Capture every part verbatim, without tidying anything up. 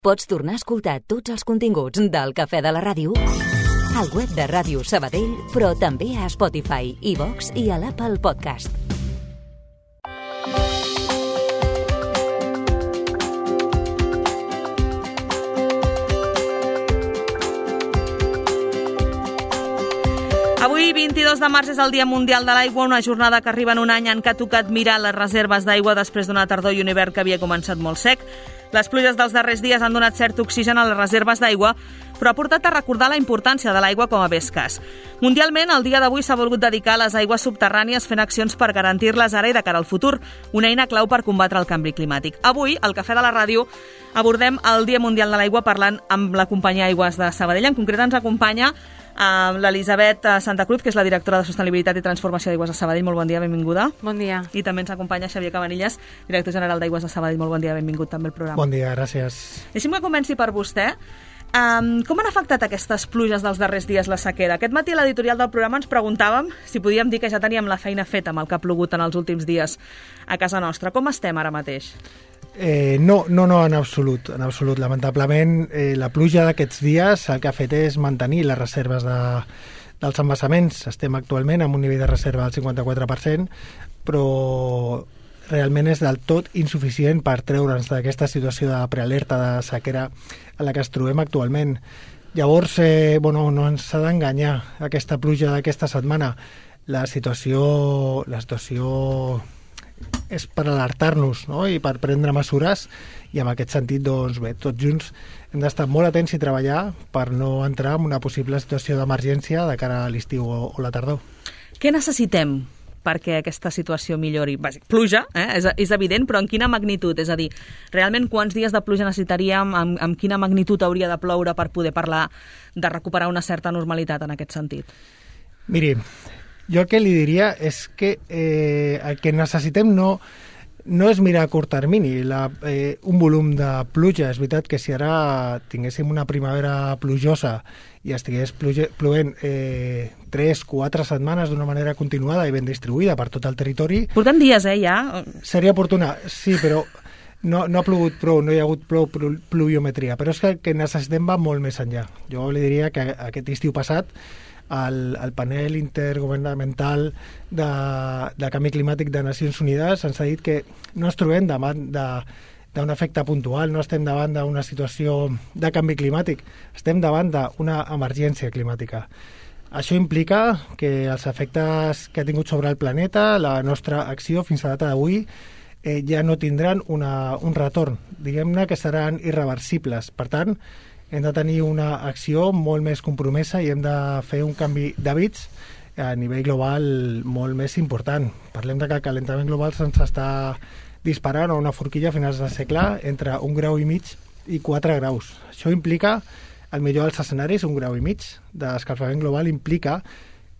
Pots tornar a escoltar tots els continguts del Cafè de la Ràdio al web de Ràdio Sabadell, però també a Spotify, iVox i a l'Apple Podcast. Avui, vint-i-dos de març, és el Dia Mundial de l'Aigua, una jornada que arriba en un any en què ha tocat mirar les reserves d'aigua després d'una tardor i un hivern que havia començat molt sec. Les pluges dels darrers dies han donat cert oxigen a les reserves d'aigua, però ha portat a recordar la importància de l'aigua com a bé escàs. Mundialment, el dia d'avui s'ha volgut dedicar a les aigües subterrànies fent accions per garantir-les ara i de cara al futur, una eina clau per combatre el canvi climàtic. Avui, al Cafè de la Ràdio, abordem el Dia Mundial de l'Aigua parlant amb la companyia Aigües de Sabadell. En concret ens acompanya Uh, l'Elisabet Santa Cruz, que és la directora de Sostenibilitat i Transformació d'Aigües de Sabadell. Molt bon dia, benvinguda. Bon dia. I també ens acompanya Xavier Cabanillas, director general d'Aigües de Sabadell. Molt bon dia, benvingut també al programa. Bon dia, gràcies. Deixi'm que comenci per vostè. Um, com han afectat aquestes pluges dels darrers dies la sequera? Aquest matí a l'editorial del programa ens preguntàvem si podíem dir que ja teníem la feina feta amb el que ha plogut en els últims dies a casa nostra. Com estem ara mateix? Eh, no, no, no, en absolut, en absolut. Lamentablement, eh, la pluja d'aquests dies el que ha fet és mantenir les reserves de, dels embassaments. Estem actualment amb un nivell de reserva del cinquanta-quatre per cent, però realment és del tot insuficient per treure'ns d'aquesta situació de prealerta de sequera a la que es trobem actualment. Llavors, eh, bueno, no ens ha d'enganyar aquesta pluja d'aquesta setmana. La situació, la situació és per alertar-nos, no? I per prendre mesures, i en aquest sentit, doncs bé, tots junts hem d'estar molt atents i treballar per no entrar en una possible situació d'emergència de cara a l'estiu o, o la tardor. Què necessitem perquè aquesta situació millori? Bàsic, pluja, eh? és, és evident, però en quina magnitud? És a dir, realment quants dies de pluja necessitaríem, amb, amb quina magnitud hauria de ploure per poder parlar de recuperar una certa normalitat en aquest sentit? Miri, jo el que li diria és que eh, el que necessitem no, no és mirar a curt termini la, eh, un volum de pluja. És veritat que si ara tinguéssim una primavera plujosa i estigués pluge, plovent eh, tres, quatre setmanes d'una manera continuada i ben distribuïda per tot el territori... Portem dies, eh, ja? Seria oportuna, sí, però no, no ha plogut prou, no hi ha hagut prou pluviometria. Però és que el que necessitem va molt més enllà. Jo li diria que aquest estiu passat El, el panel intergovernamental de, de canvi climàtic de Nacions Unides ens ha dit que no ens trobem davant d'un efecte puntual, no estem davant d'una situació de canvi climàtic, estem davant d'una emergència climàtica. Això implica que els efectes que ha tingut sobre el planeta, la nostra acció fins a data d'avui, eh, ja no tindran una, un retorn, diguem-ne que seran irreversibles. Per tant, hem de tenir una acció molt més compromesa i hem de fer un canvi d'hàbits a nivell global molt més important. Parlem de que el calentament global se'ns està disparant a una forquilla a finals del segle entre un grau i mig i quatre graus. Això implica, el millor dels escenaris, un grau i mig d'escalfament global implica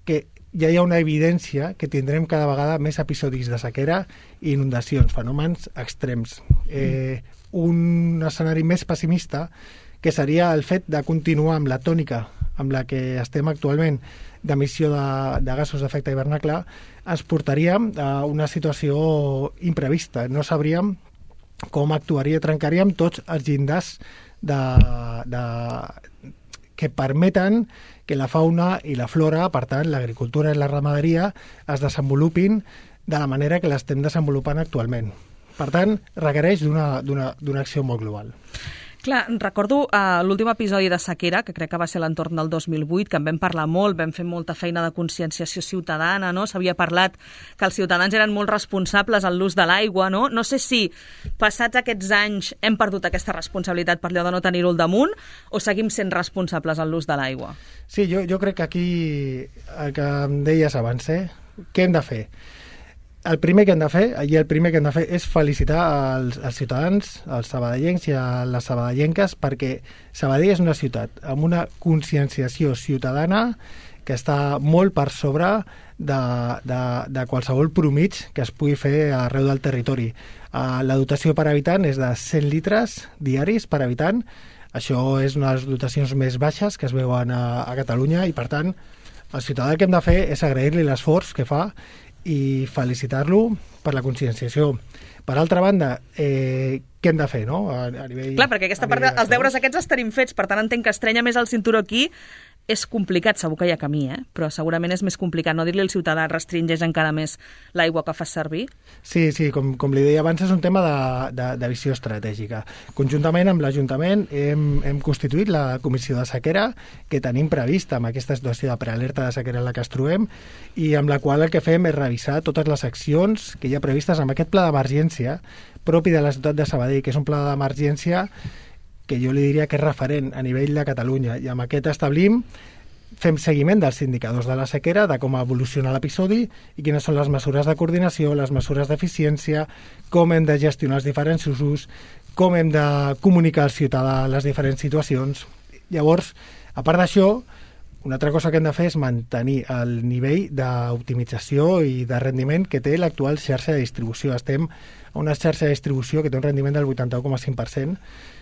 que ja hi ha una evidència que tindrem cada vegada més episodis de sequera i inundacions, fenòmens extrems. Eh, un escenari més pessimista que seria el fet de continuar amb la tònica amb la que estem actualment d'emissió de, de gasos d'efecte hivernacle, ens portaria a una situació imprevista. No sabríem com actuaria, trencaríem tots els llindars de, de, que permeten que la fauna i la flora, per tant, l'agricultura i la ramaderia, es desenvolupin de la manera que l'estem desenvolupant actualment. Per tant, requereix d'una, d'una, d'una acció molt global. Clar, recordo uh, l'últim episodi de sequera, que crec que va ser l'entorn del dos mil vuit, que en vam parlar molt, vam fer molta feina de conscienciació ciutadana, no? S'havia parlat que els ciutadans eren molt responsables en l'ús de l'aigua, no? No sé si, passats aquests anys, hem perdut aquesta responsabilitat per allò de no tenir-ho al damunt, o seguim sent responsables en l'ús de l'aigua? Sí, jo, jo crec que aquí, el que em deies abans, eh? Què hem de fer? El primer que hem de fer, i el primer que hem de fer és felicitar als, als ciutadans, als sabadellencs i a les sabadellenques, perquè Sabadell és una ciutat amb una conscienciació ciutadana que està molt per sobre de, de, de qualsevol promig que es pugui fer arreu del territori. Uh, la dotació per habitant és de cent litres diaris per habitant. Això és una de les dotacions més baixes que es veuen a, a Catalunya i, per tant, el ciutadà el que hem de fer és agrair-li l'esforç que fa i felicitar-lo per la conscienciació. Per altra banda, eh, què hem de fer, no? A, a nivell, Clar, perquè aquesta part, els deures aquests els tenim fets, per tant entenc que estrenya més el cinturó aquí. És complicat, segur que hi ha camí, eh? Però segurament és més complicat no dir-li al ciutadà restringeix encara més l'aigua que fas servir. Sí, sí, com, com li deia abans, és un tema de, de, de visió estratègica. Conjuntament amb l'Ajuntament hem, hem constituït la comissió de sequera que tenim prevista amb aquesta situació de prealerta de sequera en la que ens trobem i amb la qual el que fem és revisar totes les accions que hi ha previstes amb aquest pla d'emergència propi de la ciutat de Sabadell, que és un pla d'emergència que jo li diria que és referent a nivell de Catalunya, i amb aquest establim, fem seguiment dels indicadors de la sequera, de com evoluciona l'episodi i quines són les mesures de coordinació, les mesures d'eficiència, com hem de gestionar els diferents usos, com hem de comunicar al ciutadà les diferents situacions. Llavors, a part d'això, una altra cosa que hem de fer és mantenir el nivell d'optimització i de rendiment que té l'actual xarxa de distribució. Estem a una xarxa de distribució que té un rendiment del vuitanta-u coma cinc per cent.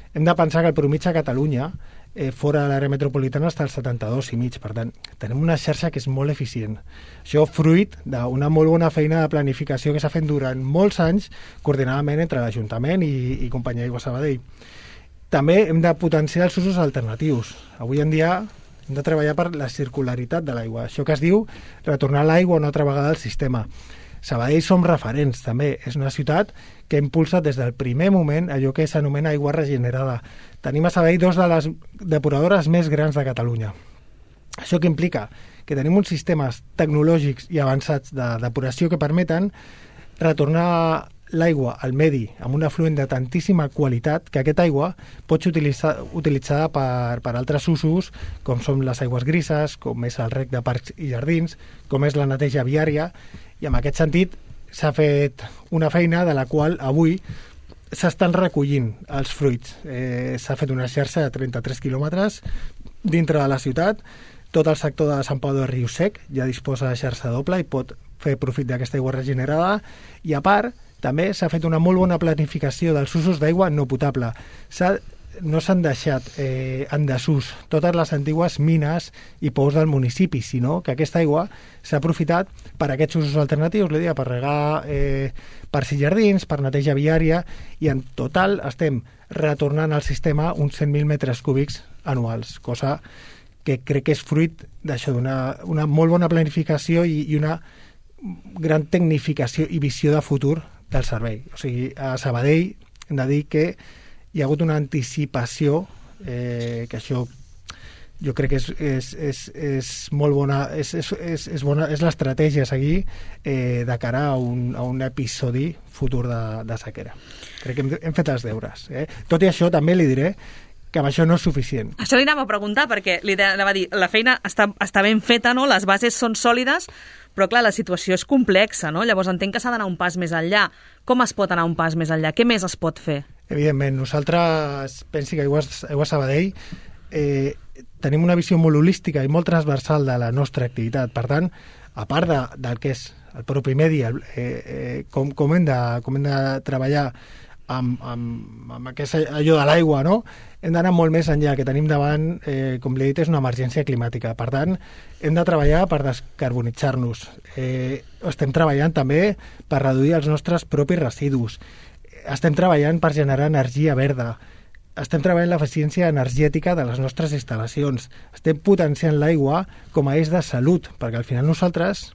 Hem de pensar que el mitjà a Catalunya, eh, fora de l'àrea metropolitana, està al setanta-dos i mig. Per tant, tenim una xarxa que és molt eficient. Això fruit d'una molt bona feina de planificació que s'ha fet durant molts anys, coordinadament entre l'Ajuntament i, i Companyia Aigua Sabadell. També hem de potenciar els usos alternatius. Avui en dia hem de treballar per la circularitat de l'aigua. Això que es diu retornar l'aigua una altra vegada al sistema. Sabadell som referents, també. És una ciutat que impulsa des del primer moment allò que s'anomena aigua regenerada. Tenim a Sabadell dos de les depuradores més grans de Catalunya. Això que implica que tenim uns sistemes tecnològics i avançats de depuració que permeten retornar l'aigua al medi amb un afluent de tantíssima qualitat que aquesta aigua pot ser utilitzada, utilitzada per, per altres usos, com són les aigües grises, com és el rec de parcs i jardins, com és la neteja viària, i en aquest sentit s'ha fet una feina de la qual avui s'estan recollint els fruits. Eh, s'ha fet una xarxa de trenta-tres quilòmetres dintre de la ciutat. Tot el sector de Sant Pau de Riu-Sec ja disposa de xarxa doble i pot fer profit d'aquesta aigua regenerada, i a part també s'ha fet una molt bona planificació dels usos d'aigua no potable. No s'han deixat eh, en desús totes les antigues mines i pous del municipi, sinó que aquesta aigua s'ha aprofitat per aquests usos alternatius, li deia, per regar eh, parcs i jardins, per neteja viària, i en total estem retornant al sistema uns cent mil metres cúbics anuals, cosa que crec que és fruit d'això, d'una una molt bona planificació i, i una gran tecnificació i visió de futur del servei. O sigui, a Sabadell hem de dir que hi ha hagut una anticipació, eh, que això jo crec que és, és, és, és molt bona, és, és, és, és, bona, és l'estratègia a seguir eh, de cara a un, a un episodi futur de, de sequera. Crec que hem, hem fet els deures. Eh? Tot i això, també li diré que amb això no és suficient. Això li anava a preguntar, perquè li anava a dir, la feina està, està ben feta, no? Les bases són sòlides, però clar, la situació és complexa, no? Llavors entenc que s'ha d'anar un pas més enllà. Com es pot anar un pas més enllà? Què més es pot fer? Evidentment, nosaltres, pensi que Aigua, Aigua Sabadell eh, tenim una visió molt holística i molt transversal de la nostra activitat. Per tant, a part de, del que és el propi medi, el, eh, eh, com, com, hem de, com hem de treballar amb, amb, amb aquest, allò de l'aigua, no? Hem d'anar molt més enllà, que tenim davant, eh, com li he dit, és una emergència climàtica. Per tant, hem de treballar per descarbonitzar-nos. Eh, estem treballant també per reduir els nostres propis residus. Estem treballant per generar energia verda. Estem treballant l'eficiència energètica de les nostres instal·lacions. Estem potenciant l'aigua com a eix de salut, perquè al final nosaltres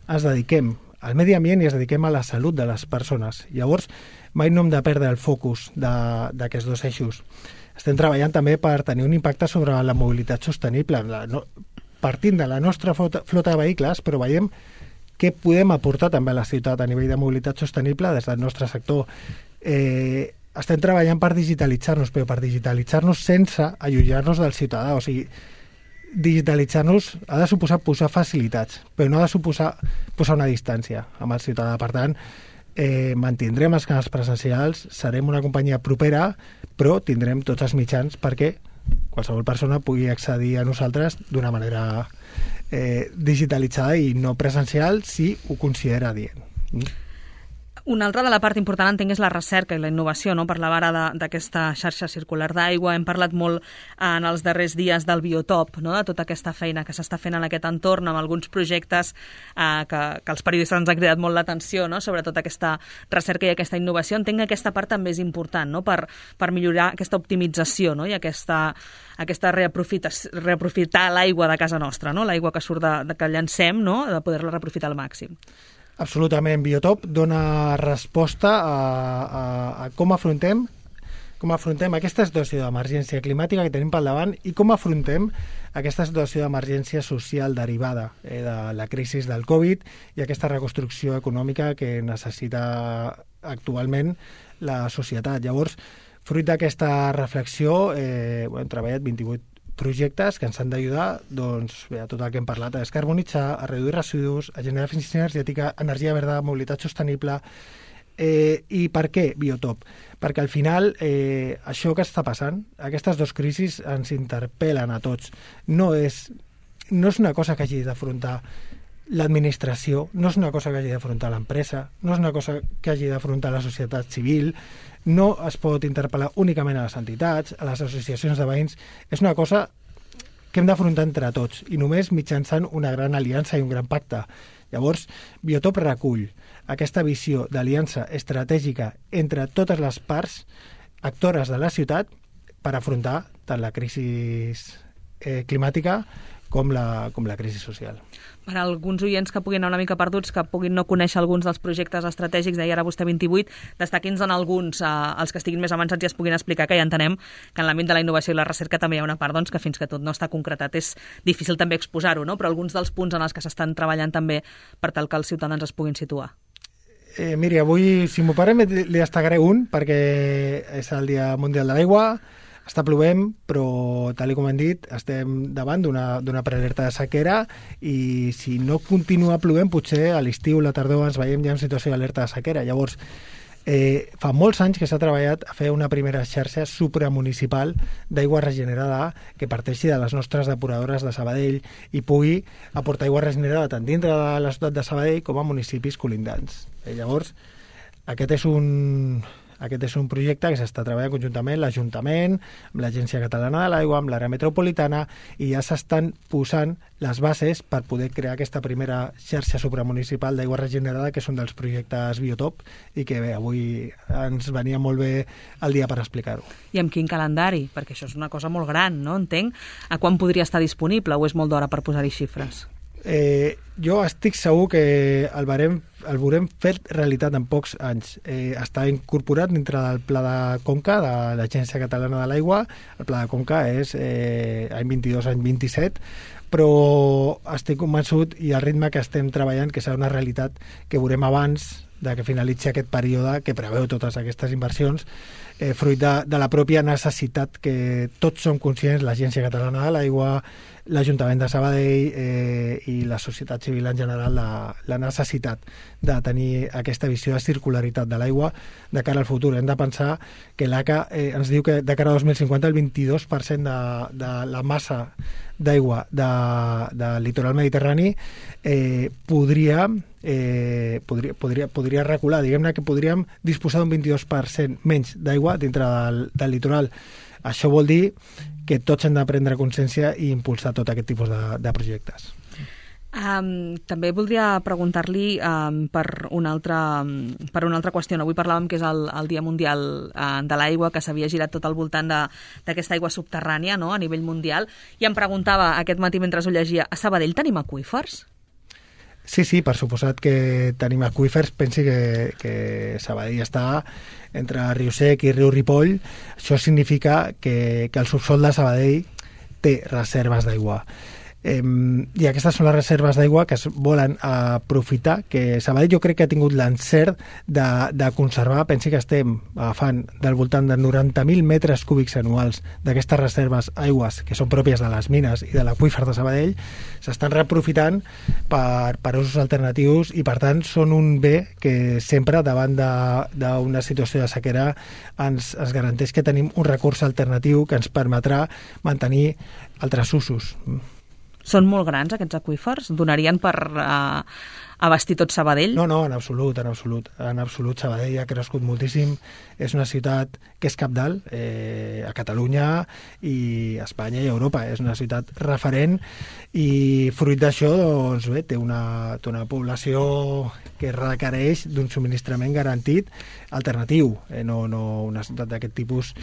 ens dediquem al medi ambient i ens dediquem a la salut de les persones. Llavors, mai no hem de perdre el focus d'aquests dos eixos. Estem treballant també per tenir un impacte sobre la mobilitat sostenible, la, no, partint de la nostra flota, flota de vehicles, però veiem què podem aportar també a la ciutat a nivell de mobilitat sostenible des del nostre sector. Eh, estem treballant per digitalitzar-nos, però per digitalitzar-nos sense allunyar-nos del ciutadà. O sigui, digitalitzar-nos ha de suposar posar facilitats, però no ha de suposar posar una distància amb el ciutadà. Per tant, eh, mantindrem els canals presencials, serem una companyia propera, però tindrem tots els mitjans perquè qualsevol persona pugui accedir a nosaltres d'una manera eh, digitalitzada i no presencial si ho considera adient. Mm? Una altra de la part important, entenc, és la recerca i la innovació, no? Parlava ara d'aquesta xarxa circular d'aigua, hem parlat molt en els darrers dies del biotop, no? De tota aquesta feina que s'està fent en aquest entorn, amb alguns projectes eh, que, que els periodistes ens han cridat molt l'atenció, no? Sobretot aquesta recerca i aquesta innovació. Entenc que aquesta part també és important, no? Per, per millorar aquesta optimització, no? I aquesta, aquesta reaprofitar l'aigua de casa nostra, no? L'aigua que surt de, de que llancem, no? De poder-la reaprofitar al màxim. Absolutament. Biotop dona resposta a, a, a com afrontem com afrontem aquesta situació d'emergència climàtica que tenim pel davant i com afrontem aquesta situació d'emergència social derivada eh, de la crisi del Covid i aquesta reconstrucció econòmica que necessita actualment la societat. Llavors, fruit d'aquesta reflexió, eh, hem treballat vint-i-vuit projectes que ens han d'ajudar doncs, bé, a tot el que hem parlat, a descarbonitzar, a reduir residus, a generar eficiència energètica, energia verda, mobilitat sostenible. Eh, I per què Biotop? Perquè al final eh, això que està passant, aquestes dues crisis ens interpel·len a tots. No és, no és una cosa que hagi d'afrontar l'administració, no és una cosa que hagi d'afrontar l'empresa, no és una cosa que hagi d'afrontar la societat civil, no es pot interpel·lar únicament a les entitats, a les associacions de veïns, és una cosa que hem d'afrontar entre tots i només mitjançant una gran aliança i un gran pacte. Llavors, Biotop recull aquesta visió d'aliança estratègica entre totes les parts actores de la ciutat per afrontar tant la crisi eh, climàtica com la, com la crisi social. Per a alguns oients que puguin anar una mica perduts, que puguin no conèixer alguns dels projectes estratègics, deia ara vostè vint-i-vuit, destaqui'ns en alguns, eh, els que estiguin més avançats i es puguin explicar, que ja entenem que en l'àmbit de la innovació i la recerca també hi ha una part doncs, que fins que tot no està concretat és difícil també exposar-ho, no? Però alguns dels punts en els que s'estan treballant també per tal que els ciutadans es puguin situar. Eh, miri, avui, si m'ho parem, li destacaré un, perquè és el Dia Mundial de l'Aigua. Està plovent, però, tal com hem dit, estem davant d'una prealerta de sequera i si no continua plovent, potser a l'estiu, la tardor, ens veiem ja en situació d'alerta de sequera. Llavors, eh, fa molts anys que s'ha treballat a fer una primera xarxa supramunicipal d'aigua regenerada que parteixi de les nostres depuradores de Sabadell i pugui aportar aigua regenerada tant dintre de la ciutat de Sabadell com a municipis colindants. Eh, llavors, aquest és un... Aquest és un projecte que s'està treballant conjuntament l'Ajuntament, amb l'Agència Catalana de l'Aigua, amb l'àrea metropolitana, i ja s'estan posant les bases per poder crear aquesta primera xarxa supramunicipal d'aigua regenerada, que és un dels projectes Biotop, i que bé, avui ens venia molt bé el dia per explicar-ho. I amb quin calendari? Perquè això és una cosa molt gran, no? Entenc. A quan podria estar disponible o és molt d'hora per posar-hi xifres? Eh, jo estic segur que el veurem, el veurem fet realitat en pocs anys. Eh, està incorporat dintre del Pla de Conca de l'Agència Catalana de l'Aigua. El Pla de Conca és eh, any vint-i-dos, any vint-i-set, però estic convençut i al ritme que estem treballant que serà una realitat que veurem abans de que finalitzi aquest període que preveu totes aquestes inversions, eh, fruit de, de la pròpia necessitat que tots som conscients, l'Agència Catalana de l'Aigua, l'Ajuntament de Sabadell eh, i la societat civil en general, la, la necessitat de tenir aquesta visió de circularitat de l'aigua de cara al futur. Hem de pensar que l'A C A eh, ens diu que de cara a dos mil cinquanta el vint-i-dos per cent de, de la massa d'aigua de, del litoral mediterrani eh, podria, eh, podria, podria, podria recular. Diguem-ne que podríem disposar d'un vint-i-dos per cent menys d'aigua dintre del, del litoral. Això vol dir que tots hem de prendre consciència i impulsar tot aquest tipus de, de projectes. Um, també voldria preguntar-li um, per, una altra, um, per una altra qüestió. Avui parlàvem que és el, el Dia Mundial uh, de l'Aigua, que s'havia girat tot al voltant d'aquesta aigua subterrània, no?, a nivell mundial, i em preguntava aquest matí mentre ho llegia, a Sabadell tenim aqüífers? Sí, sí, per suposat que tenim aqüífers. Pensi que, que Sabadell està entre Riu Sec i Riu Ripoll. Això significa que, que el subsol de Sabadell té reserves d'aigua. Eh, I aquestes són les reserves d'aigua que es volen aprofitar, que Sabadell jo crec que ha tingut l'encert de, de conservar. Pensi que estem agafant del voltant de noranta mil metres cúbics anuals d'aquestes reserves aigües que són pròpies de les mines i de l'aqüífer de Sabadell, s'estan reaprofitant per, per usos alternatius i per tant són un bé que sempre davant d'una situació de sequera ens, ens garanteix que tenim un recurs alternatiu que ens permetrà mantenir altres usos. Són molt grans aquests aqüífers? Donarien per uh, abastir tot Sabadell? No, no, en absolut, en absolut. En absolut, Sabadell ha crescut moltíssim. És una ciutat que és cabdal eh, a Catalunya i a Espanya i a Europa. És una ciutat referent i fruit d'això, doncs bé, té una, té una població que requereix d'un subministrament garantit alternatiu. Eh, no, no, una ciutat d'aquest tipus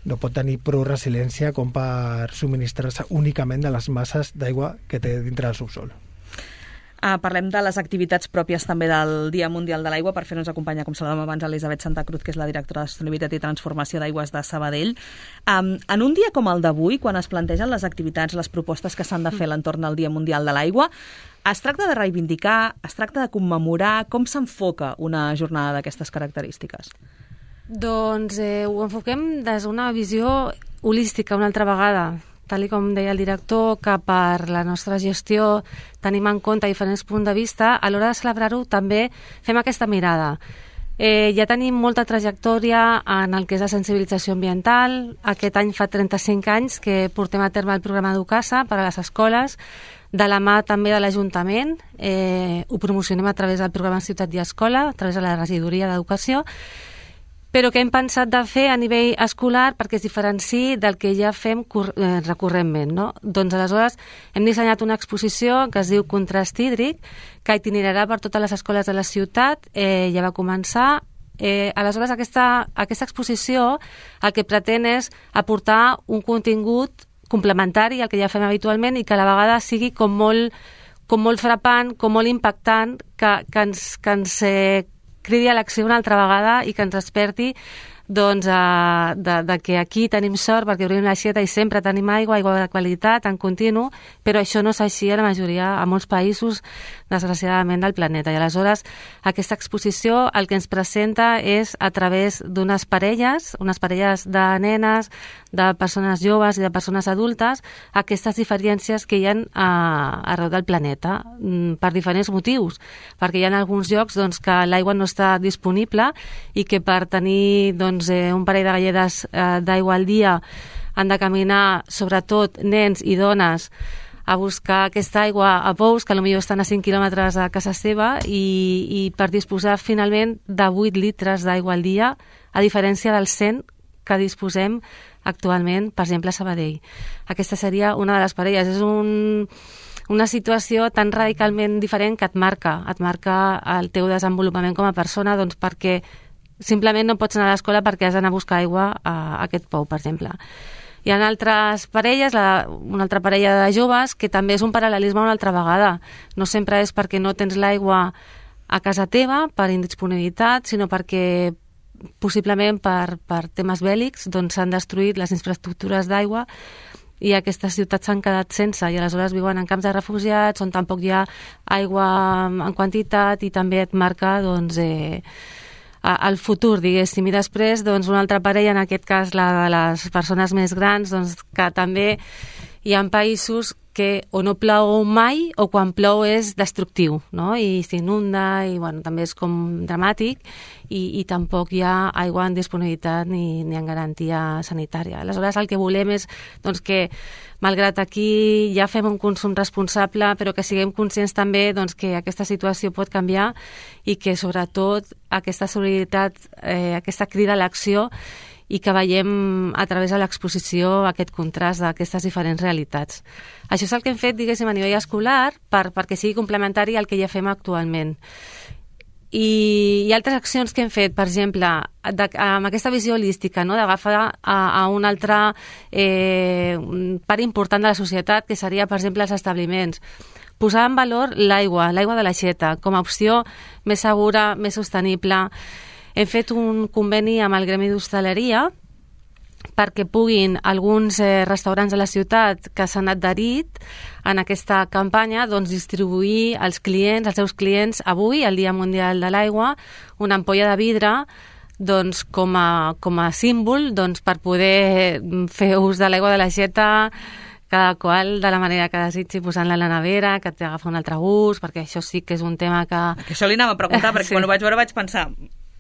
no pot tenir prou resiliència com per subministrar-se únicament de les masses d'aigua que té dintre del subsol. Uh, parlem de les activitats pròpies també del Dia Mundial de l'Aigua. Per fer-nos acompanyar, com saludàvem abans, Elisabet Santa Cruz, que és la directora de Sostenibilitat i Transformació d'Aigües de Sabadell. Um, en un dia com el d'avui, quan es plantegen les activitats, les propostes que s'han de fer a l'entorn del Dia Mundial de l'Aigua, es tracta de reivindicar, es tracta de commemorar, com s'enfoca una jornada d'aquestes característiques? Doncs eh, ho enfoquem des d'una visió holística una altra vegada, tal com deia el director, que per la nostra gestió tenim en compte diferents punts de vista. A l'hora de celebrar-ho també fem aquesta mirada. Eh, ja tenim molta trajectòria en el que és la sensibilització ambiental. Aquest any fa trenta-cinc anys que portem a terme el programa Educasa per a les escoles, de la mà també de l'Ajuntament. Eh, ho promocionem a través del programa Ciutat i Escola, a través de la regidoria d'Educació, però que hem pensat de fer a nivell escolar perquè es diferenciï del que ja fem eh, recurrentment, no? Doncs aleshores hem dissenyat una exposició que es diu Contrast hídric, que itinerarà per totes les escoles de la ciutat, eh, ja va començar. Eh, aleshores aquesta, aquesta exposició el que pretén és aportar un contingut complementari al que ja fem habitualment i que a la vegada sigui com molt, com molt frapant, com molt impactant, que, que ens, que ens eh, cridi a l'acció una altra vegada i que ens desperti doncs, uh, de, de que aquí tenim sort perquè obrim l'aixeta i sempre tenim aigua, aigua de qualitat, en continu, però això no és així a la majoria, a molts països, desgraciadament, del planeta. I aleshores aquesta exposició el que ens presenta és a través d'unes parelles, unes parelles de nenes, de persones joves i de persones adultes, aquestes diferències que hi ha uh, arreu del planeta, mm, per diferents motius, perquè hi ha alguns llocs doncs, que l'aigua no està disponible i que per tenir doncs, un parell de galledes eh, d'aigua al dia han de caminar, sobretot nens i dones, a buscar aquesta aigua a pous, que potser estan a cinc quilòmetres a casa seva, i, i per disposar finalment de vuit litres d'aigua al dia, a diferència dels cent que disposem actualment, per exemple, a Sabadell. Aquesta seria una de les parelles. És un, una situació tan radicalment diferent que et marca, et marca el teu desenvolupament com a persona, doncs perquè simplement no pots anar a l'escola perquè has d'anar a buscar aigua a aquest pou, per exemple. Hi ha altres parelles, la, una altra parella de joves, que també és un paral·lelisme una altra vegada. No sempre és perquè no tens l'aigua a casa teva per indisponibilitat, sinó perquè possiblement per, per temes bèl·lics doncs s'han destruït les infraestructures d'aigua i aquestes ciutats s'han quedat sense, i aleshores viuen en camps de refugiats on tampoc hi ha aigua en quantitat i també et marca doncs, eh, al futur, diguéssim. I després doncs, una altra parella, en aquest cas la de les persones més grans, doncs, que també hi ha països que o no plou mai o quan plou és destructiu, no? I s'inunda i bueno, també és com dramàtic i, i tampoc hi ha aigua en disponibilitat ni, ni en garantia sanitària. Aleshores el que volem és doncs, que malgrat aquí ja fem un consum responsable, però que siguem conscients també doncs, que aquesta situació pot canviar i que sobretot aquesta solidaritat, eh, aquesta crida a l'acció i que veiem a través de l'exposició aquest contrast d'aquestes diferents realitats. Això és el que hem fet, diguéssim, a nivell escolar per, perquè sigui complementari al que ja fem actualment. I hi ha altres accions que hem fet, per exemple, de, amb aquesta visió holística, no? D'agafar a, a un altre eh, part important de la societat, que seria, per exemple, els establiments. Posar en valor l'aigua, l'aigua de l'aixeta, com a opció més segura, més sostenible. Hem fet un conveni amb el Gremi d'Hostaleria perquè puguin alguns eh, restaurants de la ciutat que s'han adherit en aquesta campanya doncs, distribuir als clients, als seus clients avui, el Dia Mundial de l'Aigua, una ampolla de vidre doncs, com, a, com a símbol doncs, per poder fer ús de l'aigua de l'aixeta, cada qual de la manera que desitgi, posant-la a la nevera, que t'agafa un altre gust, perquè això sí que és un tema que... que això li anava a preguntar, perquè sí. Quan ho vaig veure vaig pensar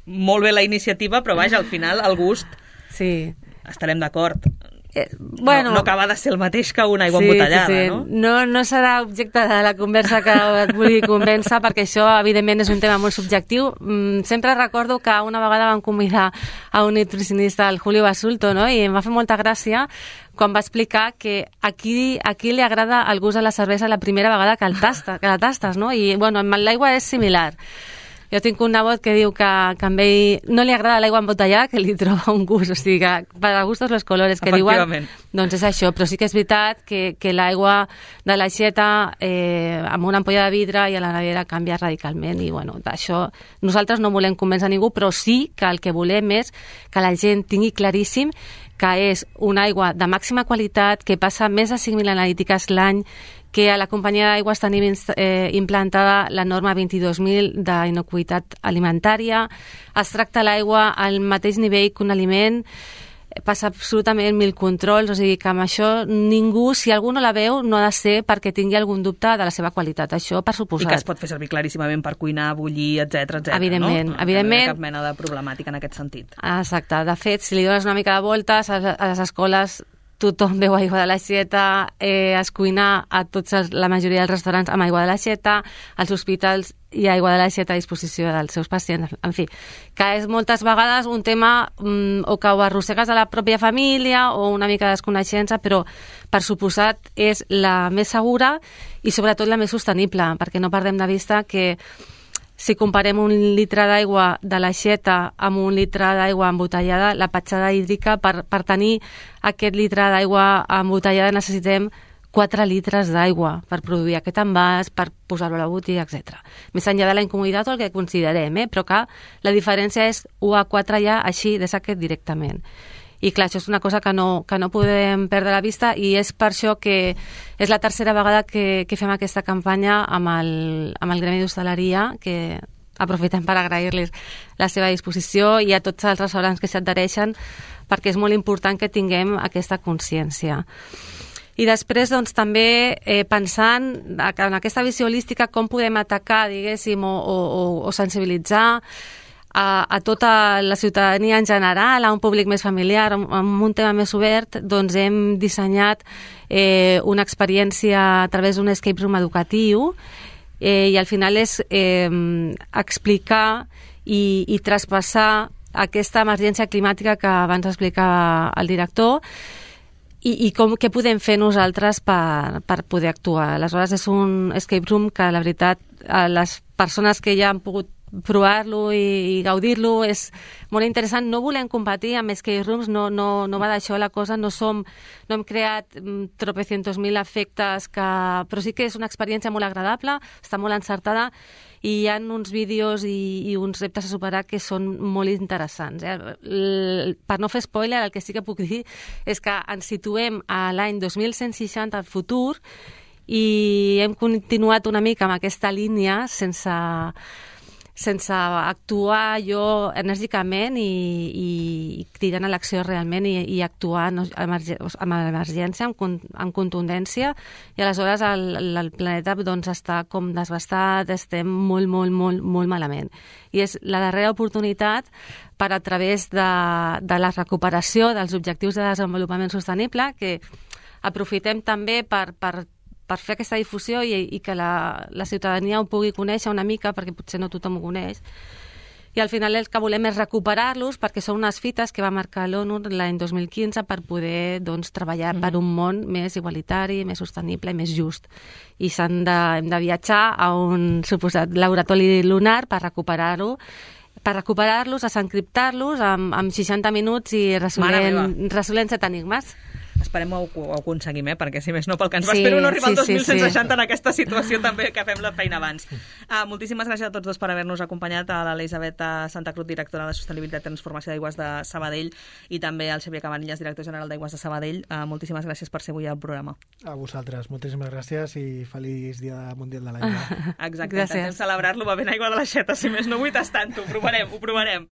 molt bé la iniciativa, però vaja, al final el gust... Sí. Estarem d'acord. Eh, bueno, no, no acaba de ser el mateix que una aigua sí, embotellada, sí, sí. no? no? No serà objecte de la conversa que et vulgui convèncer, perquè això, evidentment, és un tema molt subjectiu. Mm, sempre recordo que una vegada vam convidar a un nutricionista, el Julio Basulto, no? I em va fer molta gràcia quan va explicar que aquí, aquí li agrada el gust de la cervesa la primera vegada que, el tasta, que la tastes, no? I, bueno, amb l'aigua és similar. Jo tinc un nebot que diu que, que a ell no li agrada l'aigua embotellada, que li troba un gust, o sigui, que per a gustos los colores, que diuen, doncs és això, però sí que és veritat que, que l'aigua de l'aixeta eh, amb una ampolla de vidre i a la nevera canvia radicalment, i bueno, d'això nosaltres no volem convèncer ningú, però sí que el que volem és que la gent tingui claríssim que és una aigua de màxima qualitat, que passa més de cinc mil analítiques l'any, que a la companyia d'aigües tenim eh, implantada la norma vint-i-dos mil d'inocuïtat alimentària, es tracta l'aigua al mateix nivell que un aliment, passa absolutament mil controls, o sigui que amb això ningú, si algú no la veu, no ha de ser perquè tingui algun dubte de la seva qualitat, això per suposat. I que es pot fer servir claríssimament per cuinar, bullir, etcètera, etcètera, evidentment, no? Evidentment. No hi ha cap mena de problemàtica en aquest sentit. Exacte, de fet, si li dones una mica de voltes a les escoles, tothom beu aigua de l'aixeta, eh, es cuina a tots els, la majoria dels restaurants amb aigua de l'aixeta, als hospitals hi ha aigua de l'aixeta a disposició dels seus pacients, en fi, que és moltes vegades un tema mm, o que ho arrossegues a la pròpia família o una mica de desconeixença, però per suposat és la més segura i sobretot la més sostenible, perquè no perdem de vista que si comparem un litre d'aigua de l'aixeta amb un litre d'aigua embotellada, la petjada hídrica, per, per tenir aquest litre d'aigua embotellada necessitem quatre litres d'aigua per produir aquest envàs, per posar-lo a la botiga, etcètera. Més enllà de la incomoditat o el que considerem, eh? Però que la diferència és u a quatre ja així de saquet directament. I clar, això és una cosa que no, que no podem perdre la vista i és per això que és la tercera vegada que, que fem aquesta campanya amb el, amb el Gremi d'Hostaleria, que aprofitem per agrair-los la seva disposició i a tots els restaurants que s'adhereixen, perquè és molt important que tinguem aquesta consciència. I després, doncs, també eh, pensant en aquesta visió holística, com podem atacar, diguéssim, o, o, o sensibilitzar A, a tota la ciutadania en general, a un públic més familiar, amb un tema més obert, doncs hem dissenyat eh, una experiència a través d'un escape room educatiu eh, i al final és eh, explicar i, i traspassar aquesta emergència climàtica que abans explicava el director i, i com, què podem fer nosaltres per, per poder actuar. Aleshores és un escape room que la veritat les persones que ja han pogut provar-lo i, i gaudir-lo és molt interessant. No volem competir amb escape rooms, no, no, no va d'això la cosa, no som, no hem creat mm, tropecientos mil efectes, que, però sí que és una experiència molt agradable, està molt encertada i hi ha uns vídeos i, i uns reptes a superar que són molt interessants. Eh? L, per no fer spoiler, el que sí que puc dir és que ens situem a l'any dos mil cent seixanta al futur i hem continuat una mica amb aquesta línia sense sense actuar jo enèrgicament i, i, i cridant a l'acció realment i, i actuar no, emerg amb emergència, amb, con amb contundència, i aleshores el, el planeta doncs, està com desbastat, estem molt, molt, molt, molt malament. I és la darrera oportunitat per a través de, de la recuperació dels objectius de desenvolupament sostenible, que aprofitem també per, per per fer aquesta difusió i, i que la, la ciutadania ho pugui conèixer una mica, perquè potser no tothom ho coneix. I al final el que volem és recuperar-los, perquè són unes fites que va marcar l'ONU l'any dos mil quinze per poder doncs, treballar mm. per un món més igualitari, més sostenible i més just. I s'han de, hem de viatjar a un suposat laboratori lunar per recuperar-ho, per recuperar-los, desencriptar-los amb, amb seixanta minuts i resolent, resolent set enigmes. Esperem ho, ho aconseguim, eh? Perquè si més no pel que ens va sí, espero no arribar al sí, dos mil cent seixanta sí, sí. en aquesta situació també que fem la feina abans. Uh, moltíssimes gràcies a tots dos per haver-nos acompanyat, a l'Elisabet Santa Cruz, directora de Sostenibilitat i Transformació d'Aigües de Sabadell, i també al Xavier Cabanillas, director general d'Aigües de Sabadell. Uh, moltíssimes gràcies per ser avui al programa. A vosaltres, moltíssimes gràcies i feliç Dia Mundial de l'Aigua. Exacte, intentem celebrar-lo bevent aigua de l'aixeta, si més no vull tastant-ho, ho provarem, ho provarem.